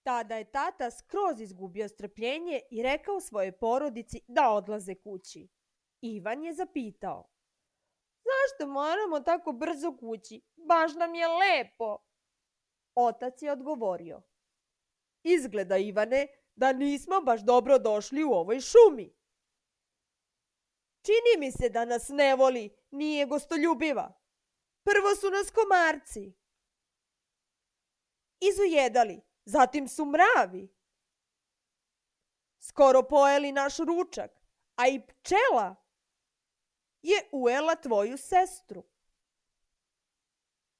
Tada je tata skroz izgubio strpljenje i rekao svojoj porodici da odlaze kući. Ivan je zapitao: Zašto moramo tako brzo kući? Baš nam je lepo. Otac je odgovorio: Izgleda, Ivane, da nismo baš dobro došli u ovoj šumi. Čini mi se da nas ne voli, nije gostoljubiva. Prvo su nas komarci izujedali, zatim su mravi skoro pojeli naš ručak, a i pčela je ujela tvoju sestru.